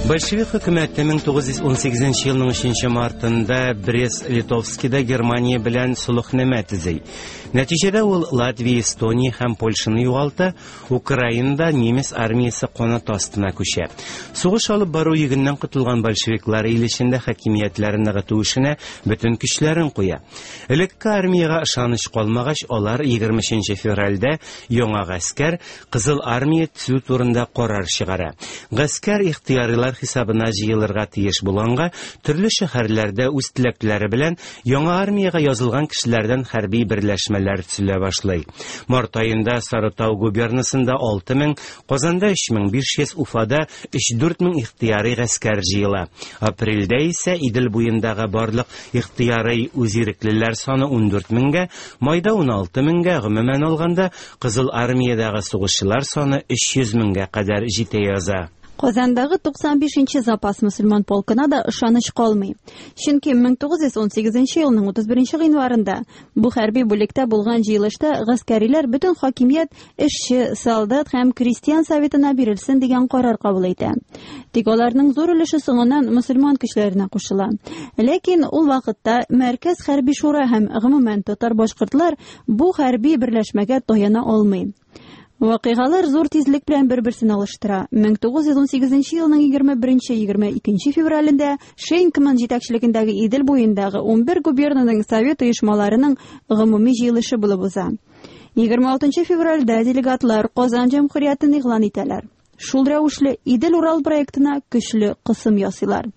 Большевик хөкүмәте 1918 елның 3 мартында Брест-Литовскида Германия белән солыхнамә төзи. Нәтиҗәдә ул Латвия, Эстония һәм Польшаны югалта, Украинада немец армиясе канаты астына күчә. Сугыш алып бару йөгеннән котылган большевиклар ил эчендә хакимиятләрен ныгыту эшенә бөтен көчләрен куя. Элекке армиягә ышаныч калмагач, алар 23 февральдә яңа гаскәр, Кызыл армия төзү турында карар чыгара. Гаскәр ихтыярилар хисабына җыелырга тиеш булганга, төрле шәһәрләрдә үз теләкләре белән яңа армиягә язылган кешеләрдән хәрби берләшмәләр төзелә башлый. Март аенда Сарытау губернасында 6000, Казанда 3500, Уфада 3-4 мең ихтыярый гаскәр җыела. Апрельдә исә Идел буендагы барлык ихтыярый үзиреклеләр саны 14 меңгә, майда 16 меңгә, гомумән алганда, Кызыл армиядәге сугышчылар саны 300 меңгә кадәр җитә яза. Казандагы 95 нче запас мөселман полкына да ышаныч калмый. Чөнки 1918 елның 31 гыйнварында бу хәрби бүлектә булган җыелышта гаскәриләр бөтен хакимият эшче, солдат һәм крестьян советына бирелсен дигән карар кабул итә. Тик аларның зур өлеше соңыннан мөселман көчләренә кушыла. Ләкин ул вакытта Мәркәз хәрби шура һәм гомумән татар-башкортлар бу хәрби берләшмәгә таяна алмый. Вакыйгалар зур тизлек белән бер-берсен алыштыра. 1918 елның 21-22 февралендә Шейнкман җитәкчелегендәге Идел буендагы 11 губернаның совет оешмаларының гомуми җыелышы булып уза. 26 февральдә делегатлар Казан җәмгыятен игълан итәләр. Шул рәвешле Идел-Урал проектына көчле кысым ясыйлар.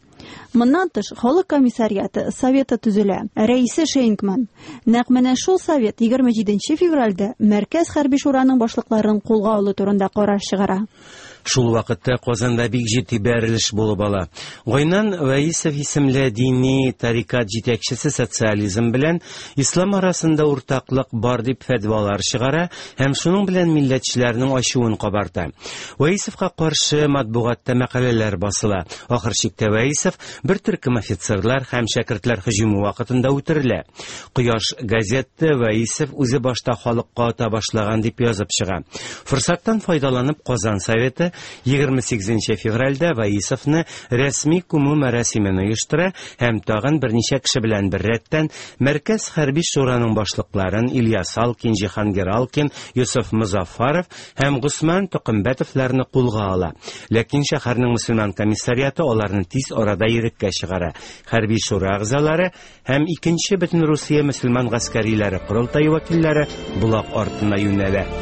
Моннан тыш, халык комиссариаты советы төзелә. Рәисе Шейнкман. Нәкъ менә шул совет 27 февральдә Мәркәз хәрби шураның башлыкларын кулга алу турында карар чыгара. Шул вакытта Казанда бик җитди бәрелеш булып ала. Гайнан Вәисов исемле дини тарикат җитәкчесе социализм белән ислам арасында уртаклык бар дип фәтвалар чыгара һәм шуның белән милләтчеләрнең ачуын кабарта. Вәисовка каршы матбугатта мәкаләләр басыла. Ахыр чиктә Вәисов бер төркем офицерлар һәм шәкертләр һөҗүме вакытында үтерелә. Кояш газеты Вәисов үзе башта халыкка ата башлаган дип язып чыга. Форсаттан файдаланып Казан Советы 28 февральдә Вәисовны рәсми күмү мәрасимен оештыра һәм тагын берничә кеше белән беррәттән Мәркәз хәрби шураның башлыкларын Ильяс Алкин, Җиһангир Алкин, Йосыф Мозаффаров һәм Госман Токымбәтовларны кулга ала. Ләкин шәһәрнең мөселман комиссариаты аларны тиз арада иреккә чыгара. Хәрби шура әгъзалары һәм икенче Бөтенрусия мөселман гаскәриләре корылтае вәкилләре Болак артына юнәлә.